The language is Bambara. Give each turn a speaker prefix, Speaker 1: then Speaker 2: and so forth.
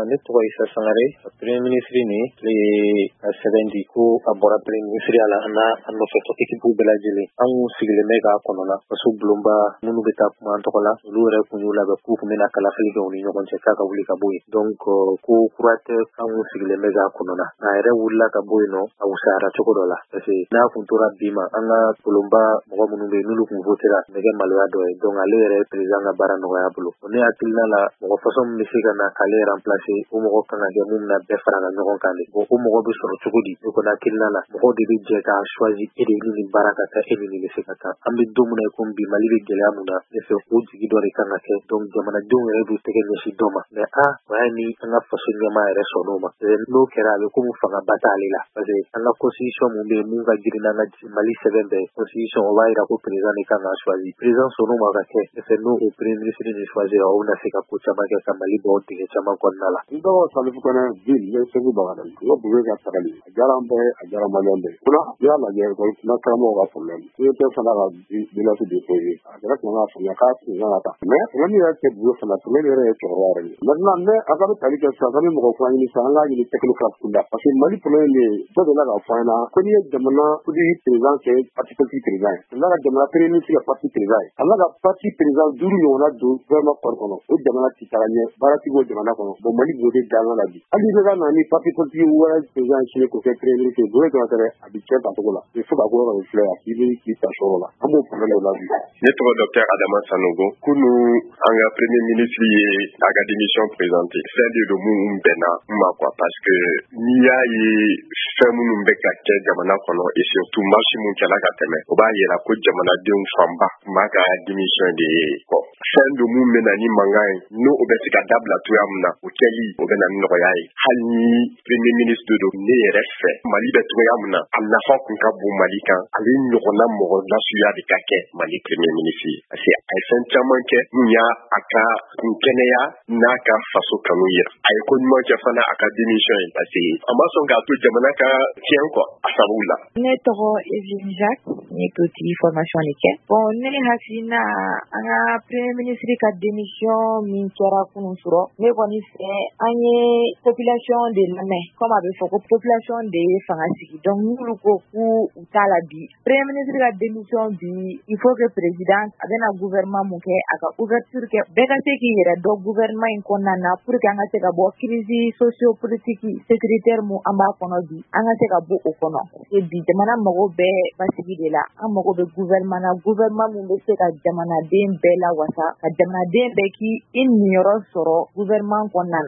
Speaker 1: Ne tɔgɔ Isa Sangare. Premier ministre ni ale ye ka sɛbɛn di ko a bɔra premier ministre la, an n'a a nɔfɛtɔ équipe bɛɛ lajɛlen. An kun sigilen bɛ k'a kɔnɔna faso bulonba minnu bɛ taa kuma an tɔgɔ la, olu yɛrɛ kun y'u labɛn k'u kun bɛna kalafili kɛ u ni ɲɔgɔn cɛ k'a ka wuli ka bɔ yen. Donc ko kura tɛ, an kun sigilen bɛ k'a kɔnɔna. A yɛrɛ wulila ka bɔ yen nɔ, a wusayara cogo dɔ la, parce que n'a kun tora bi ma, an ka bulonba mɔgɔ minnu bɛ yen n'olu kun votera, bɛ kɛ maloya dɔ ye. Donc ale yɛrɛ ye président ka baara nɔgɔya bolo. Ne hakilina la, mɔgɔ façon min bɛ se ka na k'ale remplacer, o mɔgɔ kan ka kɛ mun bɛna bɛɛ fara ka ɲɔgɔn kan de. Bon, o mɔgɔ bɛ sɔrɔ cogo di? Ne kɔni hakilina la, mɔgɔw de bɛ jɛ k'a choisi, e de ni nin baara ka kan, e ni nin bɛ se ka kan. An bɛ don min na i komi bi, Mali bɛ gɛlɛya mun na, ne fɛ o jigi dɔ de kan ka kɛ. Donc jamanadenw yɛrɛ b'u tɛgɛ ɲɛsin dɔ ma, mais a o y'a ni an ka faso ɲɛmaa yɛrɛ sɔnn'o ma. N'o kɛra, a bɛ komi fangaba t'ale la, parce que an ka constitution mun bɛ yen, mun ka girin n'an ka Mali sɛbɛn bɛɛ constitution, o b'a yira ko président de kan k'a choisi. Président sɔnn'o ma ka kɛ, ne fɛ n'o o premier ministre nin choisi, o bɛna se ka ko caman kɛ ka Mali bɔ dingɛ caman kɔnɔna la.
Speaker 2: N tɔgɔ Salifu Kɔnɛ Ville, n bɛ Segu Bagadaji. N ko Bube ka tagali a diyara an bɛɛ, a diyara Maliyɛn bɛɛ. Munna n'i y'a lajɛ école na karamɔgɔw ka problème CEP fana ka menace déposé, a yɛrɛ tun kan ka faamuya k'a tun kan ka taa, mais problème yɛrɛ tɛ Bube fana, problème yɛrɛ ye cɛkɔrɔba yɛrɛ de ye. Maintenant ne a ka bɛ tali kɛ sisan, k'an bɛ mɔgɔ kura ɲini sisan, an k'a ɲini technocrate kunda, parce que Mali problème de ye dɔ delila k'a fɔ an ɲɛna ko n'i ye jamana politique président kɛ parti politique président ye, a ka jamana premier ministre kɛ parti président ye, a ka parti président duuru ɲɔgɔnna don gouvernement kɔnɔ kɔnɔ, o jamana ti taga ɲɛ, baara ti bɔ jamana kɔnɔ. Bon, Mali b'o de danna la bi. Hali i bɛ ka na ni parti politique wɛrɛ président sini k'o kɛ premier ministre ye, Bube dɔrɔn tɛ dɛ, a bɛ tiɲɛ tacogo la. Il faut ka ko yɔrɔ de filɛ yan, k'i bɛ k'i ta sɔrɔ la, an b'o problème de la bi.
Speaker 3: Ne tɔgɔ docteur Adama Sanogo. Kunu, an ka premier ministre ye a ka démission présenté. Fɛn de don mun bɛnna n ma quoi, parce que n'i y'a ye fɛn minnu bɛ ka kɛ jamana kɔnɔ, et surtout marche mun kɛla ka tɛmɛ, o b'a yira ko jamanadenw fanba tun b'a ka démission de ye kɔ. Fɛn don mun bɛ na ni mankan ye, n'o o bɛ se ka dabila cogoya min na, o kɛli o bɛ na ni nɔgɔya ye. Hali ni premier ministre don, ne yɛrɛ fɛ, Mali bɛ cogoya min na, a nafa kun ka bon Mali kan, ale ɲɔgɔnna mɔgɔ nasuya de ka kɛ Mali premier ministre ye, parce que a ye fɛn caman kɛ mun y'a a ka kun kɛnɛya n'a ka faso kanu yira. A ye ko ɲuman kɛ fana a ka démission ye, parce que a ma sɔn k'a to jamana ka tiɲɛ quoi a sababu la.
Speaker 4: Ne tɔgɔ Evelyne Jacques, ne politique formation de kɛ. Bon, ne hakilina, an ka premier ministre ka démission min kɛra kunun sɔrɔ, ne kɔni fɛ, an ye population de lamɛn. Comme a bɛ fɔ ko population de ye fanga sigi, donc n'olu ko k'u u t'a la bi, premier ministre ka démission bi, il faut que président a bɛna gouvernement mun kɛ, a ka ouverture kɛ, bɛɛ ka se k'i yɛrɛ dɔn gouvernement in kɔnɔna na, pour que an ka se ka bɔ crise socio-politique sécuritaire mun an b'a kɔnɔ bi, an ka se ka bɔ o kɔnɔ. Parce que bi jamana mago bɛɛ basigi de la. An mago bɛ gouvernement na, gouvernement mun bɛ se ka jamanaden bɛɛ lawasa, ka jamanaden bɛɛ k'i i niyɔrɔ sɔrɔ gouvernement kɔnɔna na.